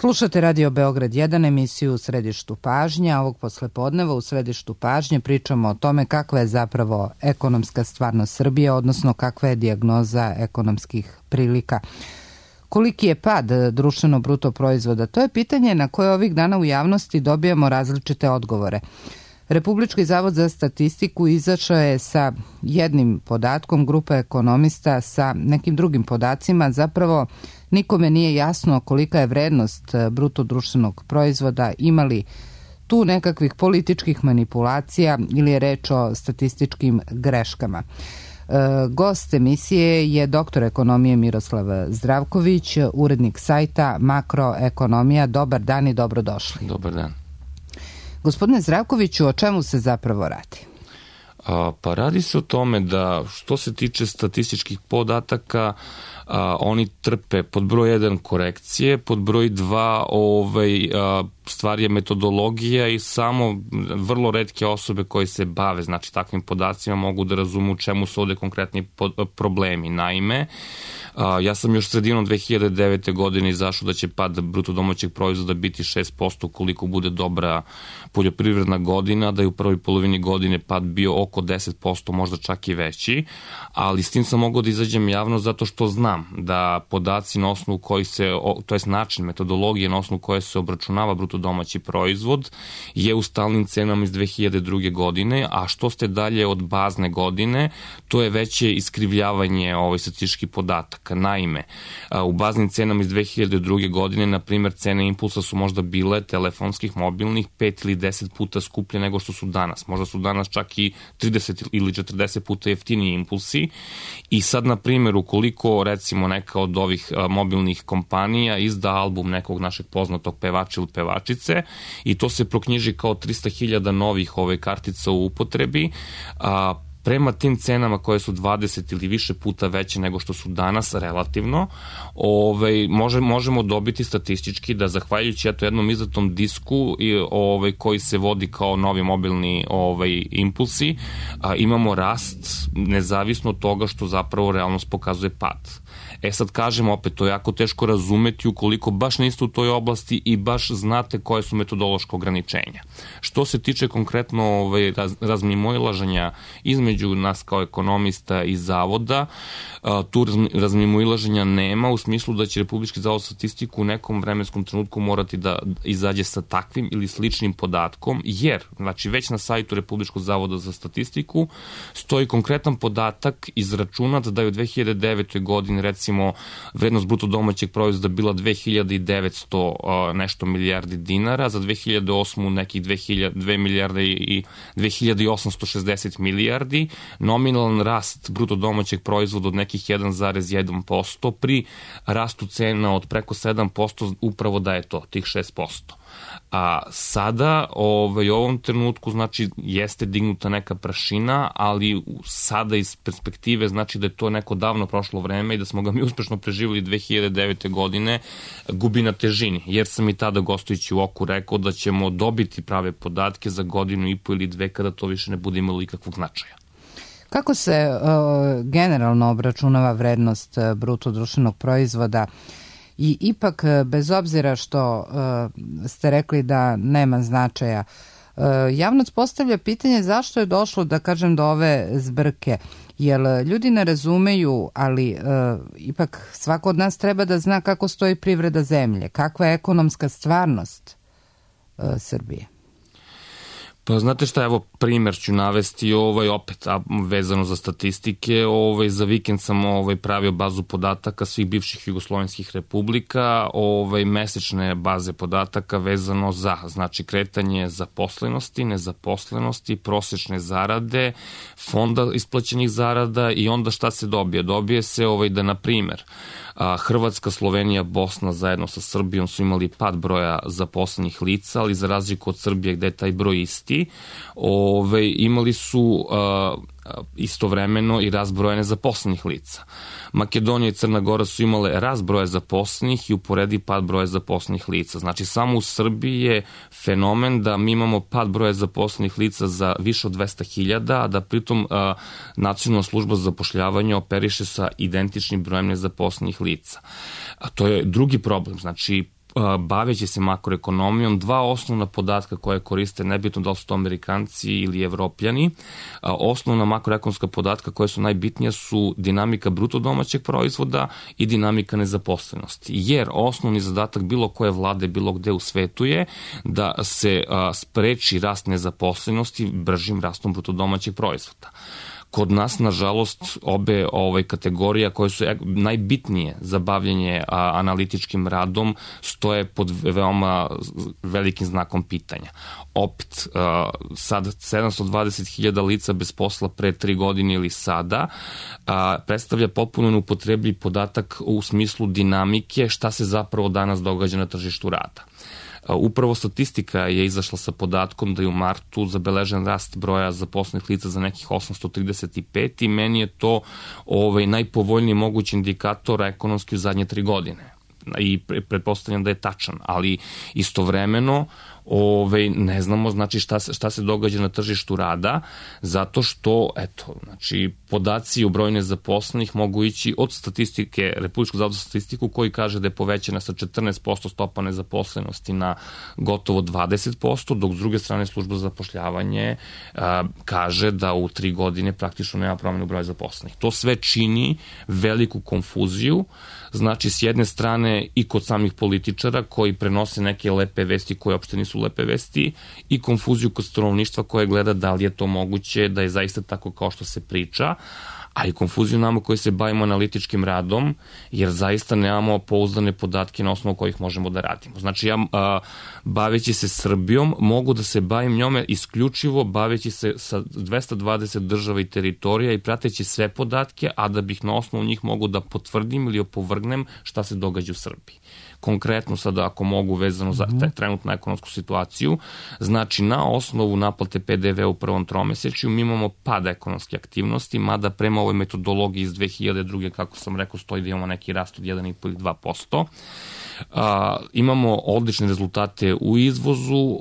Slušate Radio Beograd 1, emisiju U središtu pažnje. Ovog poslepodneva u središtu pažnje pričamo o tome kakva je zapravo ekonomska stvarnost Srbije, odnosno kakva je dijagnoza ekonomskih prilika. Koliki je pad društveno bruto proizvoda? To je pitanje na koje ovih dana u javnosti dobijamo različite odgovore. Republički zavod za statistiku izašao je sa jednim podatkom, grupa ekonomista sa nekim drugim podacima. Zapravo nikome nije jasno kolika je vrednost bruto društvenog proizvoda, imali tu nekakvih političkih manipulacija ili je reč o statističkim greškama. Gost emisije je doktor ekonomije Miroslav Zdravković, urednik sajta Makroekonomija. Dobar dan i dobrodošli. Dobar dan. Gospodine Zdravkoviću, o čemu se zapravo radi? Pa radi se o tome da što se tiče statističkih podataka, oni trpe pod broj 1 korekcije, pod broj 2 stvar je metodologija i samo vrlo retke osobe koje se bave, znači takvim podacima, mogu da razumu u čemu su ovde konkretni problemi. Naime, ja sam još sredinom 2009. godine izašao da će pad bruto domaćeg proizvoda biti 6% koliko bude dobra poljoprivredna godina, da je u prvoj polovini godine pad bio oko 10%, možda čak i veći, ali s tim sam mogao da izađem javno zato što znam da podaci na osnovu koji se, to je način metodologije na osnovu koje se obračunava bruto domaći proizvod je u stalnim cenama iz 2002. godine, a što ste dalje od bazne godine, to je veće iskrivljavanje statističkih podataka. Naime, u baznim cenama iz 2002. godine, na primjer, cene impulsa su možda bile telefonskih, mobilnih 5 ili 10 puta skuplje nego što su danas. Možda su danas čak i 30 ili 40 puta jeftiniji impulsi i sad, na primjer, ukoliko recimo neka od ovih mobilnih kompanija izda album nekog našeg poznatog pevača ili pevačice i to se proknjiži kao 300.000 novih kartica u upotrebi, prema tim cenama koje su 20 ili više puta veće nego što su danas relativno, možemo dobiti statistički da zahvaljujući jednom izdatom disku koji se vodi kao novi mobilni impulsi, imamo rast nezavisno od toga što zapravo realnost pokazuje pad. Sad kažem opet, to je jako teško razumeti ukoliko baš niste u toj oblasti i baš znate koje su metodološke ograničenja. Što se tiče konkretno razmimoilaženja između nas kao ekonomista i zavoda, tu razmimoilaženja nema u smislu da će Republički zavod za statistiku u nekom vremenskom trenutku morati da izađe sa takvim ili sličnim podatkom, jer znači već na sajtu Republičkog zavoda za statistiku stoji konkretan podatak izračunat da je u 2009. godini recimo vrednost bruto domaćeg proizvoda bila 2900 nešto milijardi dinara, za 2008. nekih 2 milijarde i 2860 milijardi, nominalan rast bruto domaćeg proizvoda od nekih 1,1%, pri rastu cena od preko 7% upravo da je to, tih 6%. A sada, u ovom trenutku, znači, jeste dignuta neka prašina, ali sada iz perspektive znači da je to neko davno prošlo vreme i da smo ga mi uspešno preživjeli 2009. godine, gubi na težini, jer sam i tada gostujući u Oku rekao da ćemo dobiti prave podatke za godinu i po ili dve kada to više ne bude imalo ikakvog značaja. Kako se generalno obračunava vrednost bruto društvenog proizvoda? I ipak, bez obzira što ste rekli da nema značaja, javnost postavlja pitanje zašto je došlo, da kažem, do ove zbrke. Jer ljudi ne razumeju, ali ipak svako od nas treba da zna kako stoji privreda zemlje, kakva je ekonomska stvarnost Srbije. Pa znate šta, evo primer ću navesti opet vezano za statistike. Za vikend sam pravio bazu podataka svih bivših jugoslovenskih republika, mesečne baze podataka vezano za, znači, kretanje zaposlenosti, nezaposlenosti, prosečne zarade, fonda isplaćenih zarada i onda šta se dobije? Dobije se da, na primer, Hrvatska, Slovenija, Bosna zajedno sa Srbijom su imali pad broja zaposlenih lica, ali za razliku od Srbije gde je taj broj isti, imali su istovremeno i rast broja nezaposlenih lica. Makedonija i Crna Gora su imale rast broja zaposlenih i uporedi pad broja zaposlenih lica. Znači, samo u Srbiji je fenomen da mi imamo pad broja zaposlenih lica za više od 200.000, a da pritom Nacionalna služba za zapošljavanje operiše sa identičnim brojem nezaposlenih lica. A to je drugi problem. Znači, baveći se makroekonomijom, dva osnovna podatka koje koriste, nebitno da li su to Amerikanci ili Evropljani. Osnovna makroekonomska podatka koje su najbitnija su dinamika bruto domaćeg proizvoda i dinamika nezaposlenosti. Jer osnovni zadatak bilo koje vlade, bilo gde u svetu je da se spreči rast nezaposlenosti bržim rastom bruto domaćeg proizvoda. Kod nas, nažalost, obe kategorija koje su najbitnije za bavljanje analitičkim radom stoje pod veoma velikim znakom pitanja. Opet, sad 720.000 lica bez posla pre 3 godine ili sada predstavlja potpuno neupotrebljiv podatak u smislu dinamike šta se zapravo danas događa na tržištu rada. Upravo statistika je izašla sa podatkom da je u martu zabeležen rast broja zaposlenih lica za nekih 835 i meni je to najpovoljniji mogući indikator ekonomski u zadnje 3 godine. I pretpostavljam da je tačan, ali istovremeno ne znamo znači šta se događa na tržištu rada, zato što podaci o broju nezaposlenih mogu ići od statistike Republičkog zavoda za statistiku koji kaže da je povećana sa 14% stopa nezaposlenosti na gotovo 20%, dok s druge strane služba za zapošljavanje kaže da u 3 godine praktično nema promjenu broja zaposlenih. To sve čini veliku konfuziju, znači s jedne strane i kod samih političara koji prenose neke lepe vesti koje uopšte nisu lepe vesti i konfuziju kod stanovništva koje gleda da li je to moguće, da je zaista tako kao što se priča, a i konfuziju nama koji se bavimo analitičkim radom, jer zaista nemamo pouzdane podatke na osnovu kojih možemo da radimo. Znači ja baveći se Srbijom mogu da se bavim njome isključivo baveći se sa 220 država i teritorija i prateći sve podatke, a da bih na osnovu njih mogu da potvrdim ili opovrgnem šta se događa u Srbiji. Konkretno sada ako mogu vezano za trenutnu ekonomsku situaciju, znači na osnovu naplate PDV u prvom tromesečju mi imamo pad ekonomske aktivnosti, mada prema ovoj metodologiji iz 2002. kako sam rekao stoji da imamo neki rast od 1,5 ili 2%. Imamo odlične rezultate u izvozu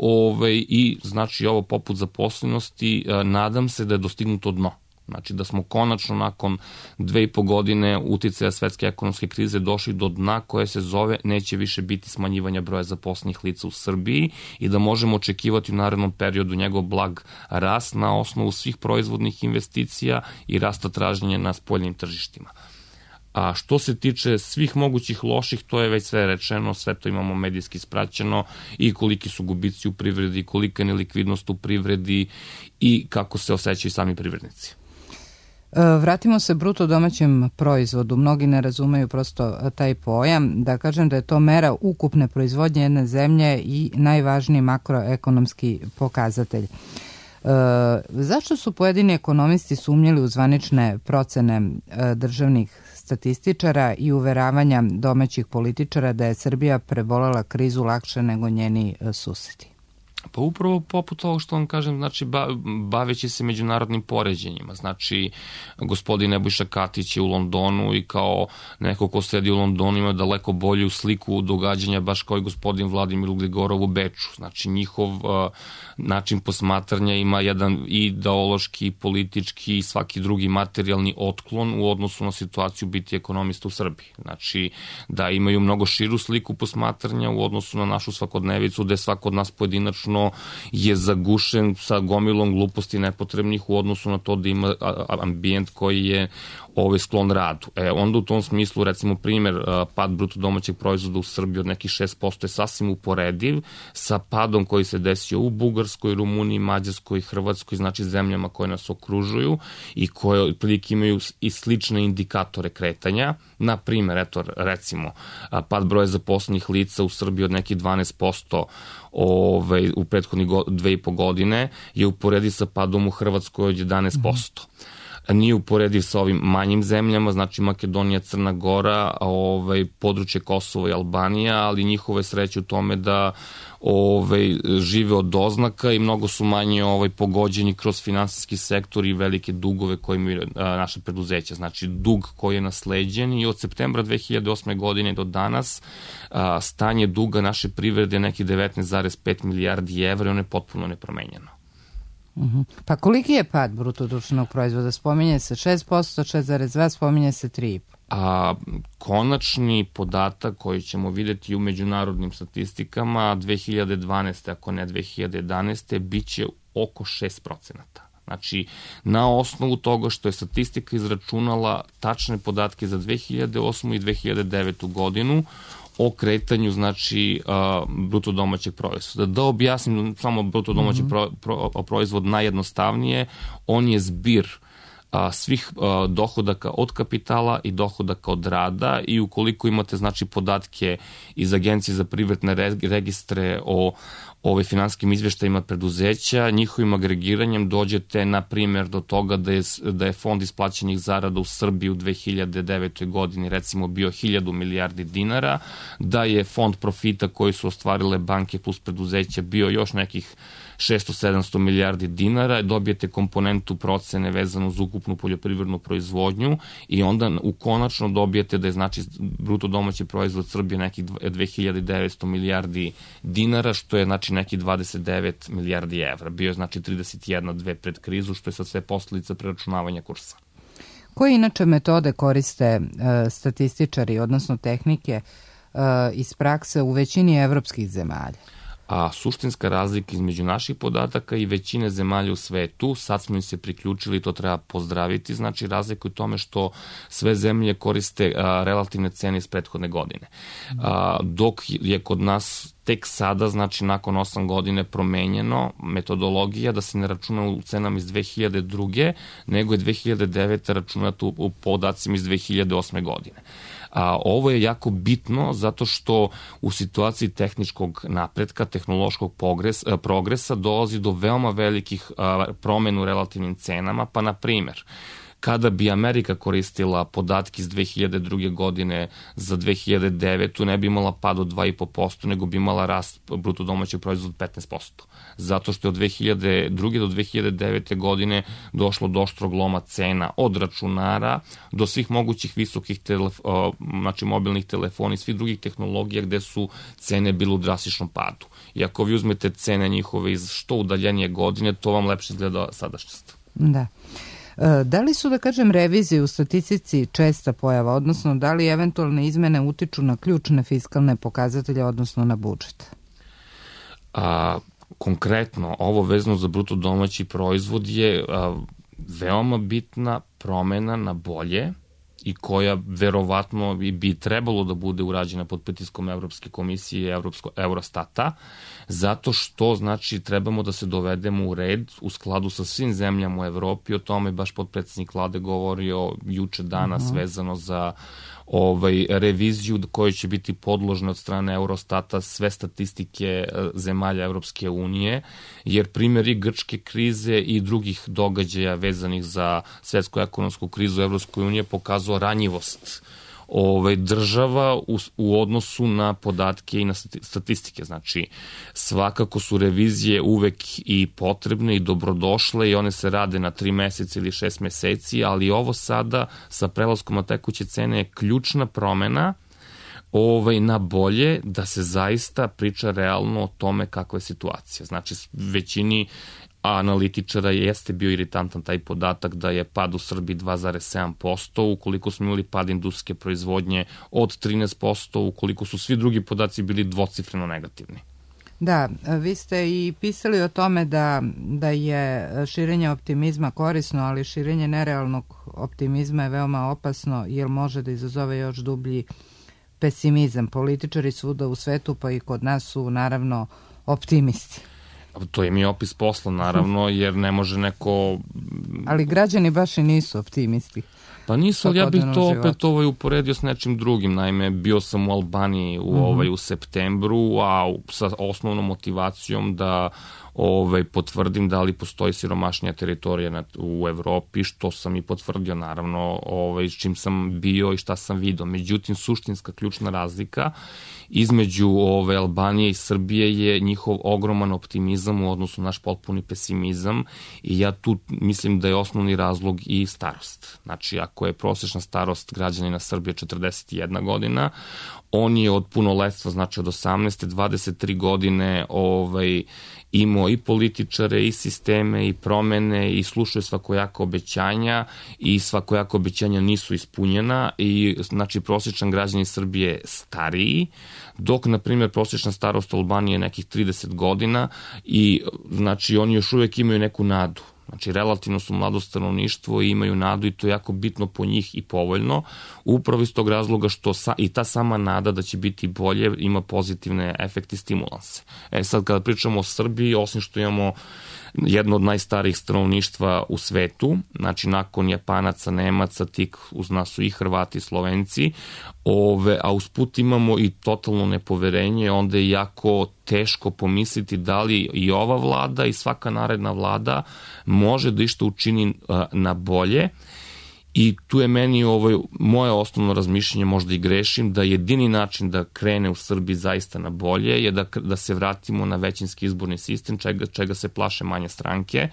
i znači ovo poput zaposlenosti nadam se da je dostignuto dno. Znači da smo konačno nakon 2,5 godine uticaja svetske ekonomske krize došli do dna koje se zove neće više biti smanjivanja broja zaposlenih lica u Srbiji i da možemo očekivati u narednom periodu njegov blag rast na osnovu svih proizvodnih investicija i rasta traženja na spoljnim tržištima. A što se tiče svih mogućih loših, to je već sve rečeno, sve to imamo medijski ispraćeno i koliki su gubici u privredi, kolika je nelikvidnost u privredi i kako se osjećaju sami privrednici. Vratimo se bruto domaćem proizvodu. Mnogi ne razumeju prosto taj pojam. Da kažem da je to mera ukupne proizvodnje jedne zemlje i najvažniji makroekonomski pokazatelj. Zašto su pojedini ekonomisti sumnjali u zvanične procene državnih statističara i uveravanja domaćih političara da je Srbija prebolela krizu lakše nego njeni susedi? Pa upravo poput ovo što vam kažem, znači baveći se međunarodnim poređenjima. Znači, gospodin Nebojša Katić je u Londonu i kao neko ko sedi u Londonu ima daleko bolju sliku događanja baš kao i gospodin Vladimir Gligorov u Beču. Znači, njihov način posmatranja ima jedan ideološki, politički i svaki drugi materijalni otklon u odnosu na situaciju biti ekonomista u Srbiji. Znači, da imaju mnogo širu sliku posmatranja u odnosu na našu svakodnevicu, gde svako od nas pojedinačno je zagušen sa gomilom gluposti nepotrebnih u odnosu na to da ima ambijent koji je sklon radu. Onda u tom smislu, recimo primjer, pad bruto domaćeg proizvoda u Srbiji od nekih 6% je sasvim uporediv sa padom koji se desio u Bugarskoj, Rumuniji, Mađarskoj, Hrvatskoj, znači zemljama koje nas okružuju i koje otprilike imaju i slične indikatore kretanja. Na primjer, recimo, pad broja zaposlenih lica u Srbiji od nekih 12% u prethodnih 2,5 godine je uporediv sa padom u Hrvatskoj od 11%. Nije uporediv sa ovim manjim zemljama, znači Makedonija, Crna Gora, područje Kosova i Albanija, ali njihove sreće u tome da žive od doznaka i mnogo su manje pogođeni kroz finansijski sektor i velike dugove koje imaju naše preduzeća. Znači dug koji je nasleđen i od septembra 2008. godine do danas stanje duga naše privrede je nekih 19,5 milijardi evra i ono je potpuno nepromenjeno. Pa koliki je pad bruto društvenog proizvoda? Spominje se 6%, 6,2%, spominje se 3,5%. a konačni podatak koji ćemo videti u međunarodnim statistikama 2012. ako ne 2011. bit će oko 6%. Znači, na osnovu toga što je statistika izračunala tačne podatke za 2008. i 2009. godinu o kretanju, znači, bruto domaćeg proizvoda. Da objasnim samo bruto domaći proizvod najjednostavnije, on je zbir svih dohodaka od kapitala i dohodaka od rada i ukoliko imate, znači, podatke iz Agencije za privredne registre o finansijskim izveštajima preduzeća, njihovim agregiranjem dođete, na primjer, do toga da je fond isplaćenih zarada u Srbiji u 2009. godini recimo bio 1000 milijardi dinara, da je fond profita koji su ostvarile banke plus preduzeća bio još nekih 600-700 milijardi dinara, dobijete komponentu procene vezanu za ukupnu poljoprivrednu proizvodnju i onda konačno dobijete da je, znači, bruto domaći proizvod Srbije nekih 2900 milijardi dinara, što je, znači, neki 29 milijardi evra. Bio je, znači, 31,2 pred krizu, što je sad sve posledica preračunavanja kursa. Koje inače metode koriste statističari, odnosno tehnike iz prakse u većini evropskih zemalja? A suštinska razlika između naših podataka i većine zemalja u svetu, sad smo im se priključili, to treba pozdraviti, znači razlika u tome što sve zemlje koriste relativne cene iz prethodne godine. Dok je kod nas tek sada, znači nakon 8 godine promenjeno metodologija da se ne računa u cenama iz 2002. nego je 2009. računata u podacima iz 2008. godine. Ovo je jako bitno zato što u situaciji tehničkog napretka, tehnološkog progresa dolazi do veoma velikih promena u relativnim cenama, pa na primjer, kada bi Amerika koristila podatke iz 2002. godine za 2009. ne bi imala pad od 2,5%, nego bi imala rast bruto domaćeg proizvoda 15%. Zato što je od 2002. do 2009. godine došlo do oštrog loma cena od računara do svih mogućih visokih znači mobilnih telefona i svih drugih tehnologija gde su cene bile u drastičnom padu. I ako vi uzmete cene njihove iz što udaljenije godine, to vam lepše izgleda sadašnjost. Da. Da li su, da kažem, revizije u statistici česta pojava, odnosno da li eventualne izmene utiču na ključne fiskalne pokazatelje, odnosno na budžet? Konkretno, ovo vezano za bruto domaći proizvod je veoma bitna promena na bolje i koja verovatno bi trebalo da bude urađena pod pritiskom Evropske komisije i Eurostata, zato što, znači, trebamo da se dovedemo u red u skladu sa svim zemljama u Evropi. O tome baš potpredsednik vlade govorio juče danas vezano za reviziju koja će biti podložna od strane Eurostata sve statistike zemalja Evropske unije, jer primjeri grčke krize i drugih događaja vezanih za svetsku ekonomsku krizu Evropske unije pokazao ranjivost država u odnosu na podatke i na statistike. Znači, svakako su revizije uvek i potrebne i dobrodošle i one se rade na 3 meseca ili 6 meseci, ali ovo sada sa prelaskom na tekuće cene je ključna promena na bolje, da se zaista priča realno o tome kakva je situacija. Znači, većini analitičara jeste bio iritantan taj podatak da je pad u Srbiji 2,7%, ukoliko smo imali pad industrijske proizvodnje od 13%, ukoliko su svi drugi podaci bili dvocifreno negativni. Da, vi ste i pisali o tome da je širenje optimizma korisno, ali širenje nerealnog optimizma je veoma opasno jer može da izazove još dublji pesimizam. Političari svuda u svetu, pa i kod nas su naravno optimisti. To je mi opis posla, naravno, jer ne može neko... Ali građani baš i nisu optimisti. Pa nisu, ali ja bih to opet uporedio s nečim drugim. Naime, bio sam u Albaniji u septembru, a sa osnovnom motivacijom da potvrdim da li postoji siromašnija teritorija u Evropi, što sam i potvrdio, naravno, s čim sam bio i šta sam vidio. Međutim, suštinska ključna razlika između Albanije i Srbije je njihov ogroman optimizam u odnosu na naš potpuni pesimizam i ja tu mislim da je osnovni razlog i starost. Znači, Znači, ako je prosječna starost građanina Srbije 41 godina, on je od punoletstva, znači od 18. 23 godine imao i političare, i sisteme, i promene, i slušaju svakojaka obećanja, i svakojaka obećanja nisu ispunjena, i znači prosječan građanin Srbije je stariji, dok, na primjer, prosječna starost u Albaniji je nekih 30 godina i znači oni još uvek imaju neku nadu. Znači, relativno su mlado stanovništvo i imaju nadu i to je jako bitno po njih i povoljno, upravo iz tog razloga što i ta sama nada da će biti bolje ima pozitivne efekte i stimulanse. Sad, kada pričamo o Srbiji, osim što imamo jedno od najstarijih stanovništva u svetu, znači nakon Japanaca, Nemaca, tik uz nas su i Hrvati i Slovenci, a usput imamo i totalno nepoverenje, onda je jako teško pomisliti da li i ova vlada i svaka naredna vlada može da išta učini na bolje. I tu je meni moje osnovno razmišljenje, možda i grešim, da jedini način da krene u Srbiji zaista na bolje je da se vratimo na većinski izborni sistem, čega se plaše manje stranke,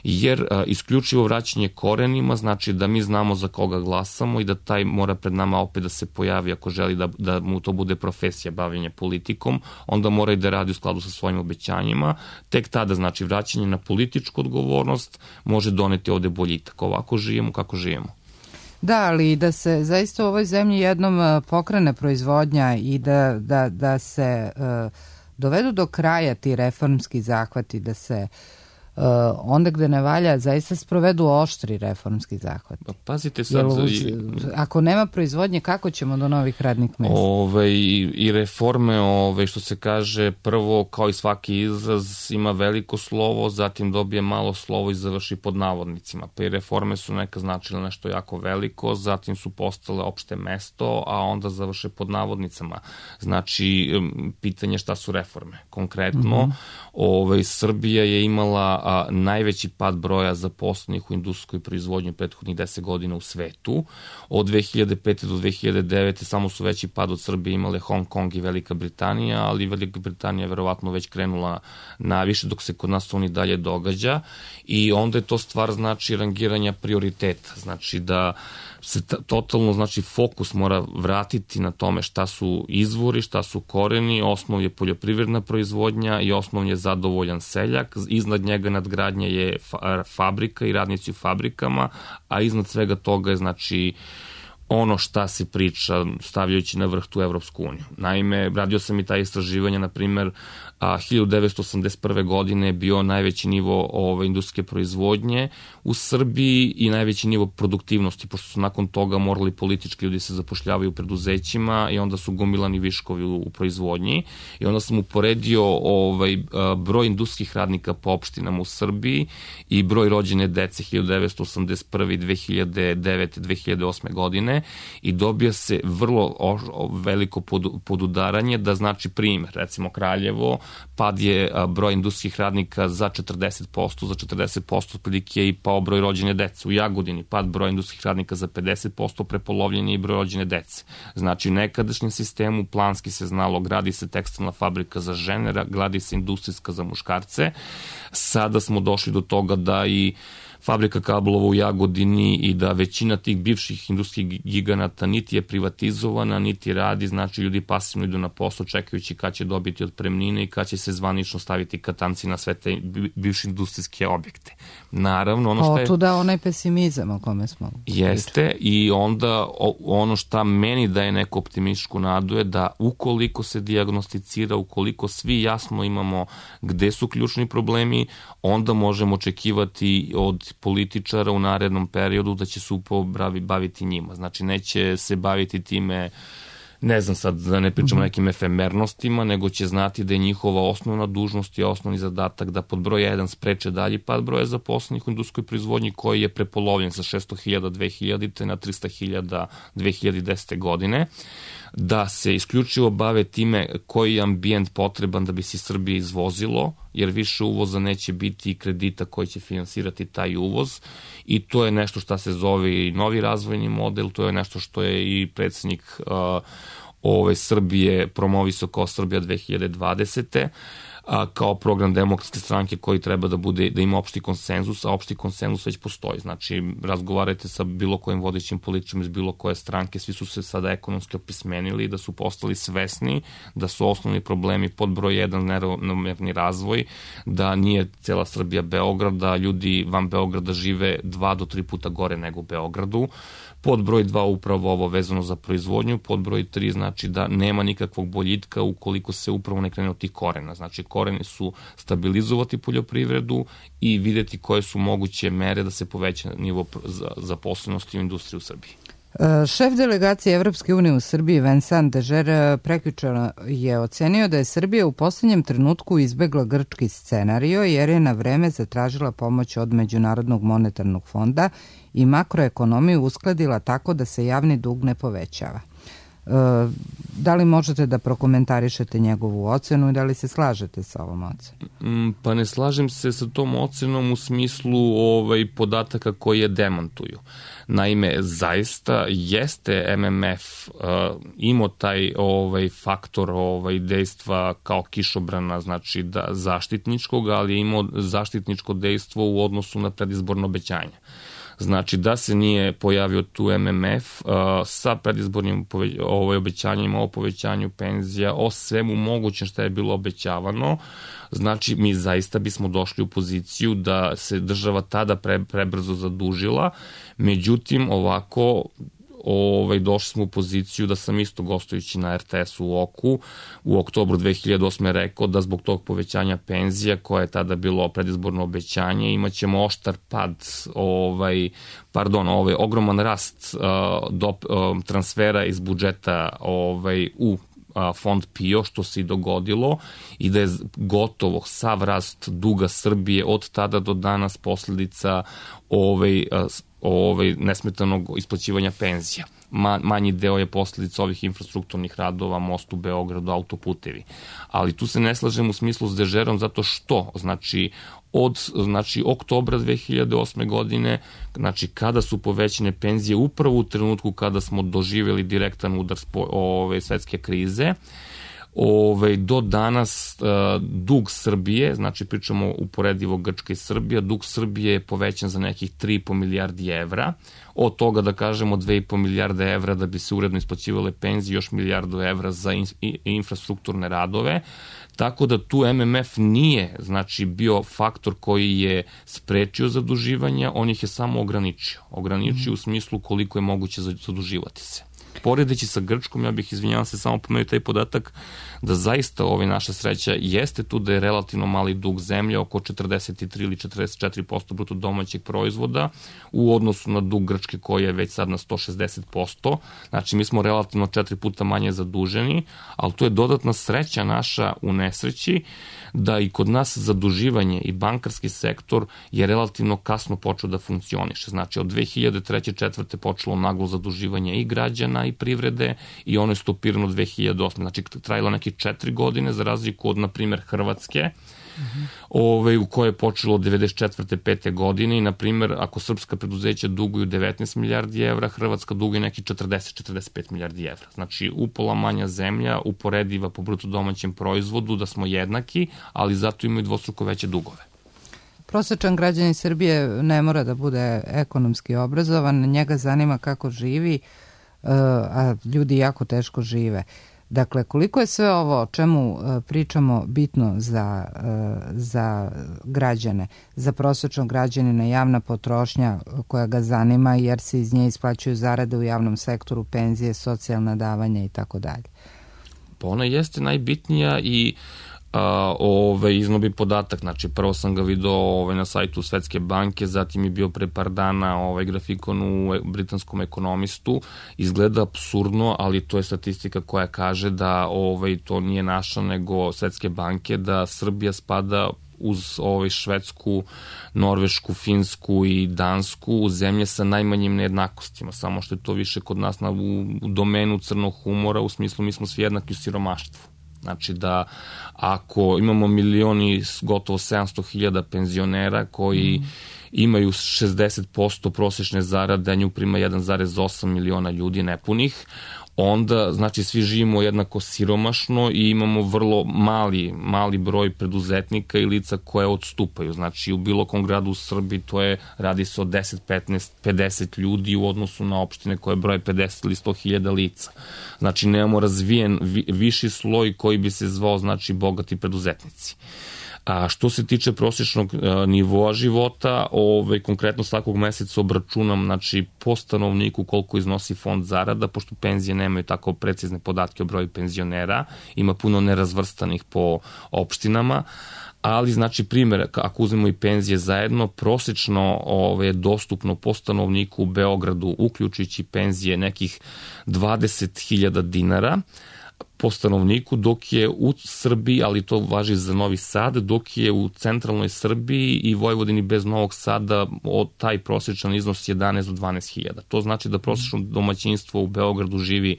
jer isključivo vraćanje korenima znači da mi znamo za koga glasamo i da taj mora pred nama opet da se pojavi ako želi da mu to bude profesija bavljenja politikom, onda mora i da radi u skladu sa svojim obećanjima. Tek tada, znači, vraćanje na političku odgovornost može doneti ovde boljitak. Ovako živimo kako živimo. Da, ali da se zaista u ovoj zemlji jednom pokrene proizvodnja i da se dovedu do kraja ti reformski zahvati, da se onda gde ne valja zaista sprovedu oštri reformski zahvati. Pazite sad... Ako nema proizvodnje, kako ćemo do novih radnih mesta? I reforme, što se kaže, prvo, kao i svaki izraz, ima veliko slovo, zatim dobije malo slovo i završi pod navodnicima. Pa i reforme su neka značile nešto jako veliko, zatim su postale opšte mesto, a onda završe pod navodnicama. Znači, pitanje šta su reforme. Konkretno, Srbija je imala najveći pad broja zaposlenih u industrijskoj proizvodnji prethodnih 10 godina u svetu. Od 2005. do 2009. samo su veći pad od Srbije imale Hong Kong i Velika Britanija, ali Velika Britanija je verovatno već krenula naviše, dok se kod nas to ni dalje događa. I onda je to stvar, znači, rangiranja prioriteta. Znači da se totalno, znači, fokus mora vratiti na tome šta su izvori, šta su koreni, osnov je poljoprivredna proizvodnja i osnov je zadovoljan seljak, iznad njega nadgradnja je fabrika i radnici u fabrikama, a iznad svega toga je, znači, ono šta se priča stavljajući na vrh tu Evropsku uniju. Naime, radio sam i ta istraživanja, na primer, 1981. godine je bio najveći nivo industrijske proizvodnje u Srbiji i najveći nivo produktivnosti, pošto su nakon toga morali politički ljudi se zapošljavaju u preduzećima i onda su gomilani viškovi u proizvodnji. I onda sam uporedio broj industrijskih radnika po opštinama u Srbiji i broj rođene dece 1981. 2009. 2008. godine i dobija se vrlo veliko podudaranje, da znači primjer, recimo Kraljevo, pad je broj industrijskih radnika za 40%, za 40% otprilike je i pao broj rođene dece. U Jagodini pad broj industrijskih radnika za 50%, prepolovljen je i broj rođene dece. Znači, u nekadašnjem sistemu planski se znalo, gradi se tekstilna fabrika za žene, gradi se industrijska za muškarce. Sada smo došli do toga da i fabrika kablova u Jagodini i da većina tih bivših industrijskih giganata niti je privatizovana, niti radi, znači ljudi pasivno idu na posao čekajući kad će dobiti otpremnine i kad će se zvanično staviti katanci na sve te bivše industrijske objekte. Naravno, ono što je... Otuda onaj pesimizam o kome smo... Jeste, i onda ono šta meni daje neku optimističku nadu je da ukoliko se dijagnosticira, ukoliko svi jasno imamo gde su ključni problemi, onda možemo očekivati od političara u narednom periodu da će se upravo baviti njima. Znači, neće se baviti time, ne znam sad, da ne pričamo nekim efemernostima, nego će znati da je njihova osnovna dužnost i osnovni zadatak da pod broj 1 spreče dalji pad broja zaposlenih u industrijskoj proizvodnji koji je prepolovljen sa 600.000 2000. na 300.000 2010. godine, da se isključivo bave time koji je ambijent potreban da bi se Srbije izvozilo, jer više uvoza neće biti i kredita koji će finansirati taj uvoz i to je nešto što se zove i novi razvojni model, to je nešto što je i predsednik Srbije promovisao kao Srbija 2020. Kao program Demokratske stranke koji treba da ima opšti konsenzus, a opšti konsenzus već postoji. Znači, razgovarajte sa bilo kojim vodećim političkim iz bilo koje stranke, svi su se sada ekonomski opismenili, da su postali svesni da su osnovni problemi pod broj 1 neravnomerni razvoj, da nije cela Srbija Beograd, da ljudi van Beograda žive 2 do 3 puta gore nego u Beogradu. Pod broj 2 upravo ovo vezano za proizvodnju, pod broj 3 znači da nema nikakvog boljitka ukoliko se upravo ne krene od tih korena. Znači koreni su stabilizovati poljoprivredu i videti koje su moguće mere da se poveća nivo zaposlenosti u industriji u Srbiji. Šef delegacije Evropske unije u Srbiji Vincent Deger prekjuče je ocenio da je Srbija u poslednjem trenutku izbegla grčki scenario jer je na vreme zatražila pomoć od Međunarodnog monetarnog fonda i makroekonomiju uskladila tako da se javni dug ne povećava. Da li možete da prokomentarišete njegovu ocenu i da li se slažete sa ovom ocenom? Pa ne slažem se sa tom ocenom u smislu podataka koji je demantuju. Naime, zaista jeste MMF imao taj faktor dejstva kao kišobrana, znači zaštitničkog, ali je imao zaštitničko dejstvo u odnosu na predizborno obećanje. Znači da se nije pojavio tu MMF sa predizbornim obećanjima o povećanju penzija, o svemu mogućem što je bilo obećavano, znači mi zaista bismo došli u poziciju da se država tada prebrzo zadužila, međutim ovako došli smo u poziciju da sam isto gostujući na RTS-u u OKU u oktobru 2008. rekao da zbog tog povećanja penzija koje je tada bilo predizborno obećanje imaćemo oštar pad, ogroman rast transfera iz budžeta u fond PIO, što se i dogodilo i da je gotovo sav rast duga Srbije od tada do danas posledica nesmetanog isplaćivanja penzija. Manji deo je posledica ovih infrastrukturnih radova, most u Beogradu, autoputevi. Ali tu se ne slažem u smislu s Dežerom zato što, od oktobra 2008. godine, kada su povećane penzije upravo u trenutku kada smo doživjeli direktan udar svetske krize, do danas dug Srbije, znači pričamo uporedivo Grčka i Srbija, dug Srbije je povećan za nekih 3,5 milijardi evra, od toga da kažemo 2,5 milijarde evra da bi se uredno isplaćivale penzije, još milijardu evra za infrastrukturne radove, tako da tu MMF nije bio faktor koji je sprečio zaduživanja, on ih je samo ograničio. Ograničio u smislu koliko je moguće zaduživati se. Poredeći sa Grčkom, ja bih, izvinjavam se, samo pomenuo taj podatak da zaista naša sreća jeste tu da je relativno mali dug zemlje, oko 43 ili 44% bruto domaćeg proizvoda u odnosu na dug Grčke koji je već sad na 160%. Znači mi smo relativno 4 puta manje zaduženi, ali to je dodatna sreća naša u nesreći da i kod nas zaduživanje i bankarski sektor je relativno kasno počeo da funkcioniše. Znači od 2003. 2004. počelo naglo zaduživanje i građana i privrede i ono je stopirano 2008. Znači trajalo neke 4 godine za razliku od, na primjer, Hrvatske, u kojoj je počelo od 94. 5. godine i, na primjer, ako srpska preduzeća duguju 19 milijardi evra, Hrvatska duguje neki 40-45 milijardi evra. Znači, upola manja zemlja, uporediva po bruto domaćem proizvodu, da smo jednaki, ali zato imaju dvostruko veće dugove. Prosečan građanin Srbije ne mora da bude ekonomski obrazovan, njega zanima kako živi, a ljudi jako teško žive. Dakle, koliko je sve ovo o čemu pričamo bitno za građane, za prosječnog građanina, javna potrošnja koja ga zanima jer se iz nje isplaćuju zarade u javnom sektoru, penzije, socijalna davanja i tako dalje? Pa ona jeste najbitnija i iznobi podatak, znači prvo sam ga video na sajtu Svetske banke, zatim je bio pre par dana grafikon u britanskom ekonomistu, izgleda apsurdno, ali to je statistika koja kaže da to nije naša nego Svetske banke, da Srbija spada uz Švedsku, Norvešku, Finsku i Dansku u zemlje sa najmanjim nejednakostima, samo što je to više kod nas u domenu crnog humora, u smislu mi smo svi jednaki u siromaštvu. Znači da ako imamo milioni, gotovo 700.000 penzionera koji imaju 60% prosječne zarade, a nju prima 1,8 miliona ljudi nepunih, onda znači svi živimo jednako siromašno i imamo vrlo mali broj preduzetnika i lica koje odstupaju. Znači u bilo kom gradu u Srbiji radi se o 10, 15, 50 ljudi u odnosu na opštine koje broje 50 ili 100.000 lica. Znači nemamo razvijen viši sloj koji bi se zvao znači bogati preduzetnici. A što se tiče prosječnog nivoa života, konkretno svakog meseca obračunam znači, po stanovniku koliko iznosi fond zarada, pošto penzije nemaju tako precizne podatke o broju penzionera, ima puno nerazvrstanih po opštinama, ali znači primjer, ako uzmemo i penzije zajedno, prosječno je dostupno po stanovniku u Beogradu, uključujući penzije nekih 20.000 dinara, po stanovniku, dok je u Srbiji, ali to važi za Novi Sad, dok je u centralnoj Srbiji i Vojvodini bez Novog Sada taj prosječan iznos 11 do 12.000. To znači da prosječno domaćinstvo u Beogradu živi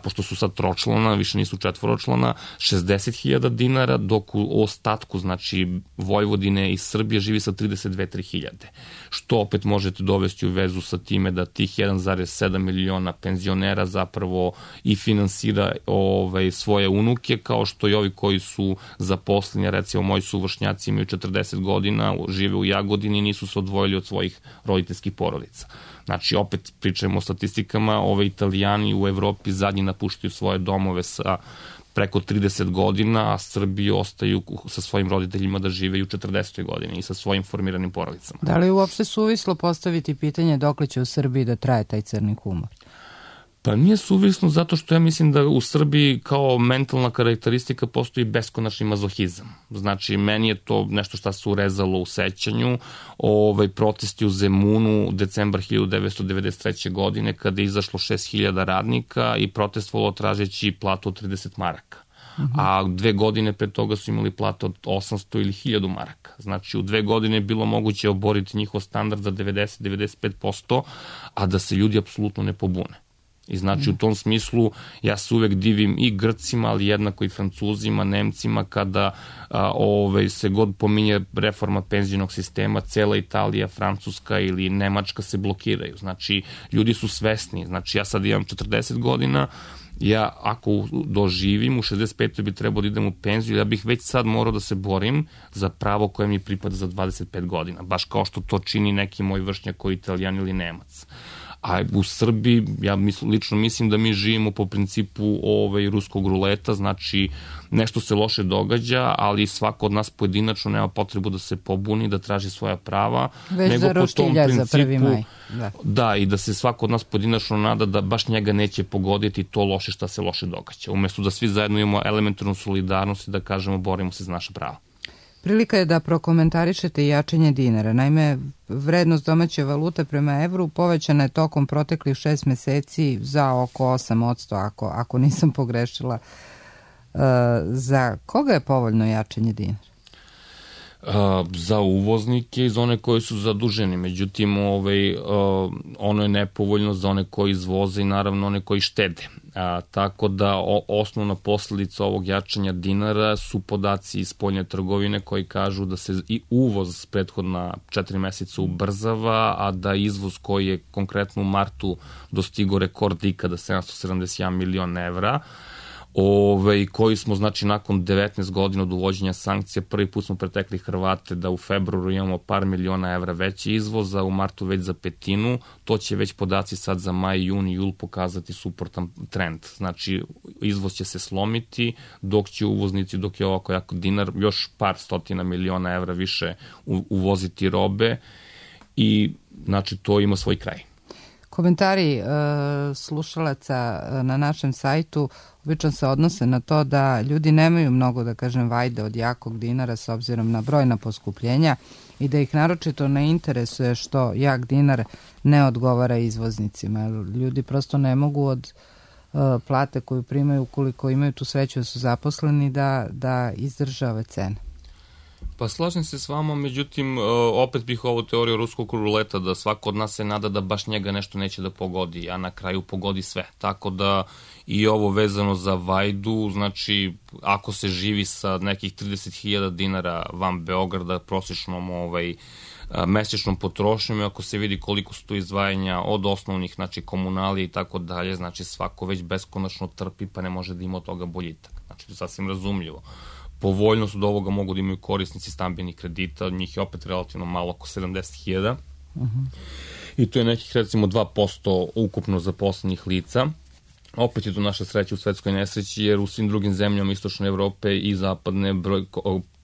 pošto su sad tročlana, više nisu četvoročlana, 60.000 dinara, dok u ostatku, znači Vojvodine i Srbije živi sa 32-3.000. Što opet možete dovesti u vezu sa time da tih 1,7 miliona penzionera zapravo i finansira svoje unuke, kao što i ovi koji su zaposleni, recimo moji suvršnjaci imaju 40 godina, žive u Jagodini i nisu se odvojili od svojih roditeljskih porodica. Znači, opet pričamo o statistikama, Italijani u Evropi zadnji napuštaju svoje domove sa preko 30 godina, a Srbi ostaju sa svojim roditeljima da žive i u 40. godini i sa svojim formiranim porodicama. Da li je uopšte suvislo postaviti pitanje dokle će u Srbiji da traje taj crni humor? Pa nije suvisno zato što ja mislim da u Srbiji kao mentalna karakteristika postoji beskonačni mazohizam. Znači, meni je to nešto što se urezalo u sećanju. Protesti u Zemunu decembar 1993. godine kada je izašlo 6.000 radnika i protestovalo tražeći platu od 30 maraka. A 2 godine pre toga su imali platu od 800 ili 1000 maraka. Znači, u 2 godine je bilo moguće oboriti njihov standard za 90-95%, a da se ljudi apsolutno ne pobune. I znači u tom smislu ja se uvek divim i Grcima, ali jednako i Francuzima, Nemcima, kada se god pominje reforma penzijnog sistema, cela Italija, Francuska ili Nemačka se blokiraju. Znači ljudi su svesni. Znači ja sad imam 40 godina, ja ako doživim u 65. bi trebao da idem u penziju, ja bih već sad morao da se borim za pravo koje mi pripada za 25 godina, baš kao što to čini neki moj vršnjak koji je Italijan ili Nemac. A u Srbiji, ja lično mislim da mi živimo po principu ruskog ruleta, znači nešto se loše događa, ali svako od nas pojedinačno nema potrebu da se pobuni, da traži svoja prava. Već za roštilja za 1. maj. Da, i da se svako od nas pojedinačno nada da baš njega neće pogoditi to loše šta se loše događa. Umesto da svi zajedno imamo elementarnu solidarnost i da kažemo borimo se za naša prava. Prilika je da prokomentarišete jačanje dinara. Naime, vrednost domaće valute prema evru povećana je tokom proteklih 6 meseci za oko 8%, ako nisam pogrešila. Za koga je povoljno jačanje dinara? Za uvoznike i za one koji su zaduženi. Međutim, ono je nepovoljno za one koji izvoze i naravno one koji štede. Tako da osnovna posledica ovog jačanja dinara su podaci iz spoljne trgovine koji kažu da se i uvoz prethodna 4 meseca ubrzava, a da izvoz koji je konkretno u martu dostigo rekord ikada 771 milion evra, koji smo, znači, nakon 19 godina od uvođenja sankcija, prvi put smo pretekli Hrvate da u februaru imamo par miliona evra veći izvoz, a u martu već za petinu. To će već podaci sad za maj, juni, jul pokazati suprotan trend. Znači, izvoz će se slomiti, dok će uvoznici, dok je ovako jako dinar, još par stotina miliona evra više uvoziti robe i, znači, to ima svoj kraj. Komentari slušalaca na našem sajtu obično se odnose na to da ljudi nemaju mnogo, da kažem, vajde od jakog dinara s obzirom na brojna poskupljenja i da ih naročito ne interesuje što jak dinar ne odgovara izvoznicima. Ljudi prosto ne mogu od plate koju primaju, ukoliko imaju tu sreću da su zaposleni, da izdrže ove cene. Pa slažem se s vama, međutim, opet bih ovu teoriju ruskog ruleta, da svako od nas se nada da baš njega nešto neće da pogodi, a na kraju pogodi sve. Tako da i ovo vezano za vajdu, znači, ako se živi sa nekih 30.000 dinara van Beograda, prosječnom mesečnom potrošnjom, i ako se vidi koliko su to izdvajanja od osnovnih, znači, komunalija i tako dalje, znači, svako već beskonačno trpi, pa ne može da ima od toga boljitak. Znači, to je sasvim razumljivo. Povoljnost od ovoga mogu da imaju korisnici stambenih kredita, od njih je opet relativno malo, oko 70.000. I to je nekih, recimo, 2% ukupno zaposlenih lica. Opet je to naša sreća u svetskoj nesreći, jer u svim drugim zemljama Istočne Evrope i Zapadne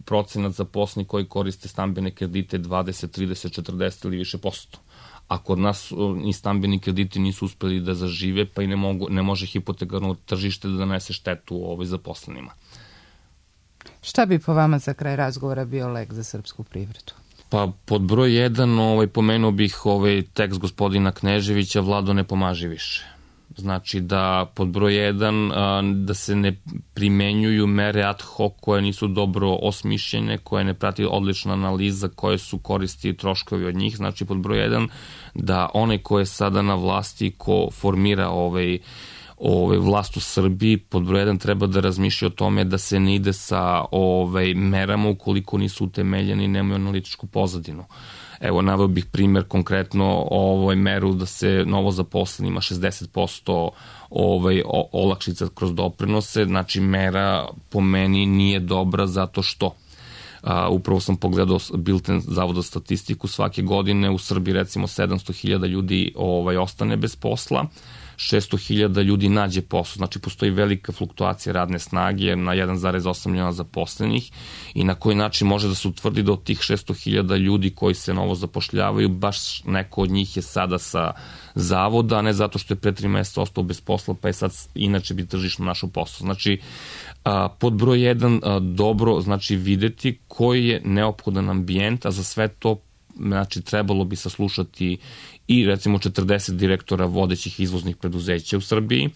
procenat zaposlenih koji koriste stambene kredite 20, 30, 40 ili više posto. A kod nas ni stambeni krediti nisu uspeli da zažive, pa i ne može hipotekarno tržište da donese štetu zaposlenima. Šta bi po vama za kraj razgovora bio lek za srpsku privredu? Pa pod broj 1 pomenuo bih tekst gospodina Kneževića, Vlado ne pomaži više. Znači da pod broj 1 da se ne primenjuju mere ad hoc koje nisu dobro osmišljene, koje ne prati odlična analiza, koje su koristi i troškovi od njih. Znači pod broj 1 da onaj ko je sada na vlasti, ko formira vlast u Srbiji, pod broj 1 treba da razmišlja o tome da se ne ide sa merama ukoliko nisu utemeljeni i nemaju analitičku pozadinu. Evo, naveo bih primjer konkretno meru da se novo zaposlenima 60% olakšica kroz doprinose, znači mera po meni nije dobra zato što upravo sam pogledao bilten Zavoda za statistiku, svake godine u Srbiji recimo 700.000 ljudi ostane bez posla, 600.000 ljudi nađe posao, znači postoji velika fluktuacija radne snage na 1,8 miliona zaposlenih i na koji način može da se utvrdi da od tih 600.000 ljudi koji se novo zapošljavaju, baš neko od njih je sada sa zavoda, a ne zato što je pre 3 meseca ostao bez posla, pa je sad inače bi tržišno našao posao. Znači, pod broj 1 dobro, znači videti koji je neophodan ambijent, a za sve to znači trebalo bi saslušati i recimo 40 direktora vodećih izvoznih preduzeća u Srbiji,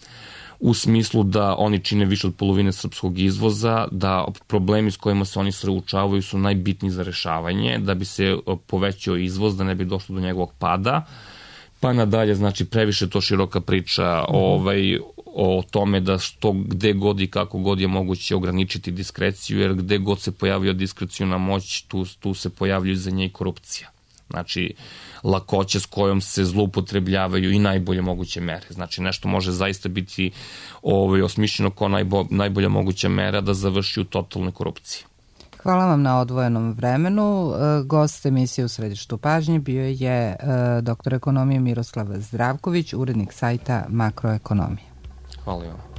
u smislu da oni čine više od polovine srpskog izvoza, da problemi s kojima se oni suočavaju su najbitniji za rešavanje, da bi se povećao izvoz, da ne bi došlo do njegovog pada, pa nadalje, znači previše to široka priča o tome da što gde god i kako god je moguće ograničiti diskreciju, jer gde god se pojavio diskreciona moć, tu se pojavljuje za nje i korupcija. Znači, lakoća s kojom se zloupotrebljavaju i najbolje moguće mere. Znači, nešto može zaista biti osmišljeno kao najbolja moguća mera da završi u totalnoj korupciji. Hvala vam na odvojenom vremenu. Gost emisije U središtu pažnje bio je doktor ekonomije Miroslav Zdravković, urednik sajta Makroekonomije. Hvala vam.